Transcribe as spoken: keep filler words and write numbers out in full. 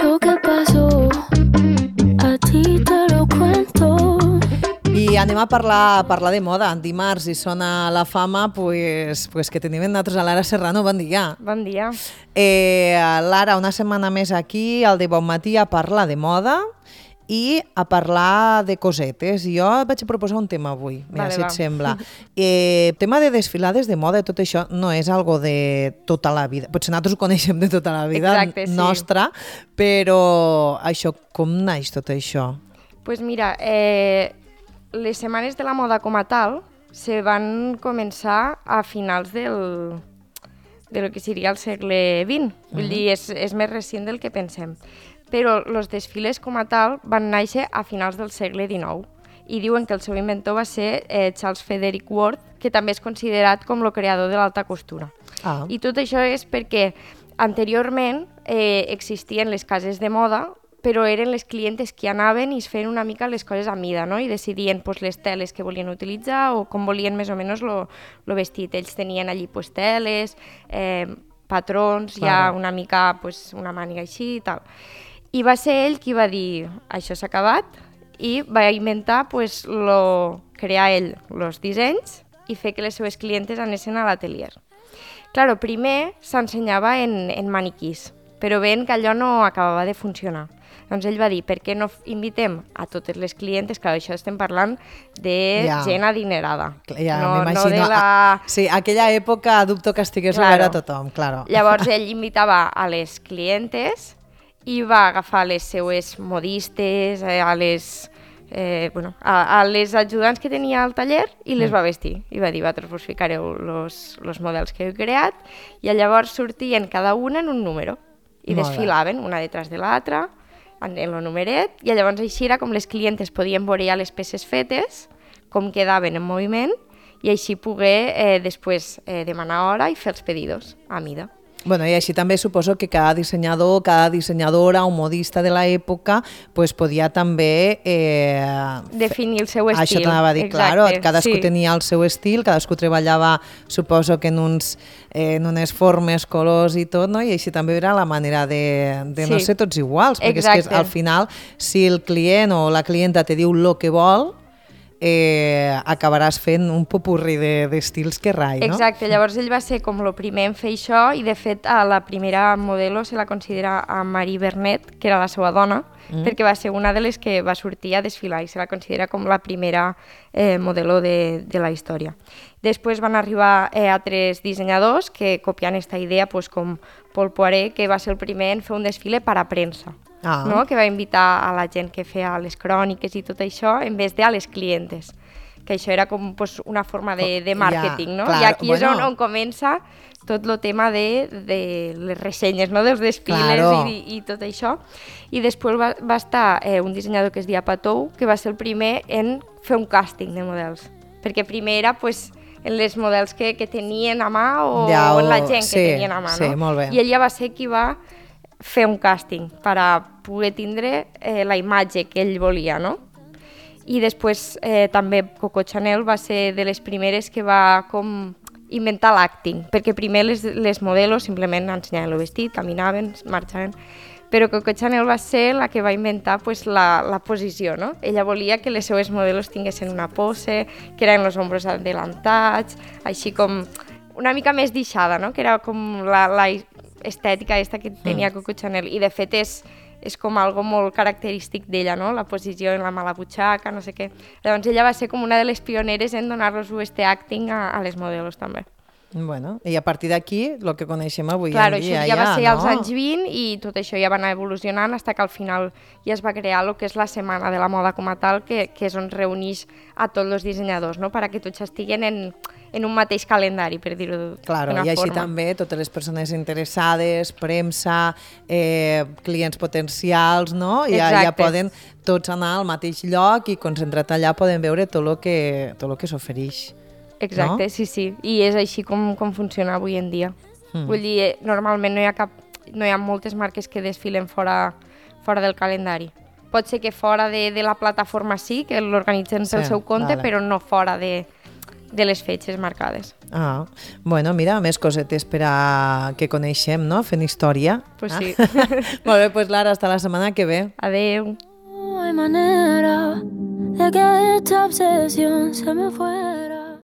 Lo que pasó, a ti te lo cuento. I anem a parlar, a parlar de moda. Dimarts i sona la fama, pues, pues que tenim nosaltres a Lara Serrano. Bon dia. Bon dia. Eh, Lara, una setmana més aquí, al de Bon Matí, a parlar de moda i a parlar de cosetes. Jo vaig a proposar un tema avui, mira, Vale, si va. et sembla. Eh, tema de desfilades de moda i tot això no és algo de tota la vida. Potser nosaltres ho coneixem de tota la vida Exacte, sí. nostra, però això, com naix tot això? Pues mira, eh, les setmanes de la moda com a tal se van començar a finals del, de lo que seria el segle vint. Vull dir, és, és més recent del que pensem. Però els desfiles com a tal van néixer a finals del segle dinou i diuen que el seu inventor va ser eh, Charles Frederick Ward, que també és considerat com el creador de l'alta costura. Ah. I tot això és perquè anteriorment eh, existien les cases de moda, però eren les clientes que anaven i es feien una mica les coses a mida, no? I decidien pues, les teles que volien utilitzar o com volien més o menys el vestit. Ells tenien allí pues, teles, eh, patrons, Claro. ja una mica pues, una màniga així i tal. I va ser ell qui va dir això s'ha acabat i va inventar pues, lo, crear ell els dissenys i fer que les seves clientes anessin a l'atelier. Claro, primer s'ensenyava en, en maniquís, però veient que allò no acabava de funcionar. Doncs ell va dir, per què no invitem a totes les clientes, que això estem parlant de Ja. gent adinerada. Ja, no, no m'imagino. de la... Ah, sí, aquella època dubto que estigués Claro. obert a tothom, claro. Llavors ell invitava a les clientes i va agafar les seues modistes, eh, a les... Eh, bueno, a, a les ajudants que tenia al taller i les va vestir. I va dir, vosaltres vos ficareu els models que heu creat i llavors sortien cada una en un número i Molt bé. desfilaven una detrás de l'altra en el numeret i llavors així era com les clientes podien veure ja les peces fetes, com quedaven en moviment i així poder eh, després eh, demanar hora i fer els pedidos a mida. Bueno, i així també suposo que cada dissenyador, cada dissenyadora o modista de l'època pues, podia també... Eh, Definir el seu estil. Això t'anava a dir, exacte, claro, cadascú sí. tenia el seu estil, cadascú treballava, suposo que en, uns, eh, en unes formes, colors i tot, no? I així també era la manera de, de no Sí. ser tots iguals, perquè és Exacte. que al final, si el client o la clienta te diu el que vol, eh, acabaràs fent un popurri d'estils de, que rai, no? Exacte, llavors ell va ser com el primer en fer això i de fet a la primera modelo se la considera a Marie Vernet, que era la seva dona, mm. perquè va ser una de les que va sortir a desfilar i se la considera com la primera eh, modelo de, de la història. Després van arribar eh, altres dissenyadors que copiant aquesta idea, pues, com Paul Poiret, que va ser el primer en fer un desfile per a premsa. Ah. No? Que va invitar a la gent que feia les cròniques i tot això en vez de a les clientes, que això era com pues, una forma de, de màrqueting, Ja, no? clar, I aquí és bueno. on, on comença tot el tema de, de les ressenyes, no? Dels desfiles Claro. i, i tot això. I després va, va estar eh, un dissenyador que es deia Patou, que va ser el primer en fer un càsting de models, perquè primer era pues, en les models que, que tenien a mà o, Ja, o en la o- gent sí, que tenien a mà, sí, no? molt bé. I ell ja va ser qui va fer un càsting per a poder tindre eh, la imatge que ell volia, no? I després eh, també Coco Chanel va ser de les primeres que va com inventar l'acting, perquè primer les, les modelos simplement ensenyaven el vestit, caminaven, marxaven, però Coco Chanel va ser la que va inventar pues, la, la posició, no? Ella volia que les seues modelos tinguessin una pose, que eren els ombros adelantats, així com una mica més deixada, no? Que era com la, la estètica aquesta que tenia Coco Chanel, i de fet és, és com algo molt característic d'ella, no? La posició en la mà a la butxaca, no sé què. Llavors ella va ser com una de les pioneres en donar-los este acting a, a les modelos també. Bueno, i a partir d'aquí, el que coneixem avui Claro, en dia, això ja va ser no? als anys vint i tot això ja va anar evolucionant fins que al final ja es va crear el que és la Setmana de la Moda com a tal, que, que és on reuneix a tots els dissenyadors, no? Perquè tots estiguen en, en un mateix calendari, per dir-ho d'una Claro, forma. i així també totes les persones interessades, premsa, eh, clients potencials, no? Ja, ja Exacte. poden tots anar al mateix lloc i concentrat allà poden veure tot el que, tot el que s'ofereix. Exacte, no? sí, sí. I és així com, com funciona avui en dia. Mm. Vull dir, normalment no hi ha cap, no hi ha moltes marques que desfilen fora, fora del calendari. Pot ser que fora de, de la plataforma sí, que l'organitzen pel Sí, seu compte, vale. però no fora de, de les fetges marcades. Ah, bueno, mira, més cosetes per a que coneixem, no? Fent història. Pues ah? sí. Molt bé, pues Lara, hasta la setmana que ve. Adeu. No hay manera de que esta obsesión se me fuera.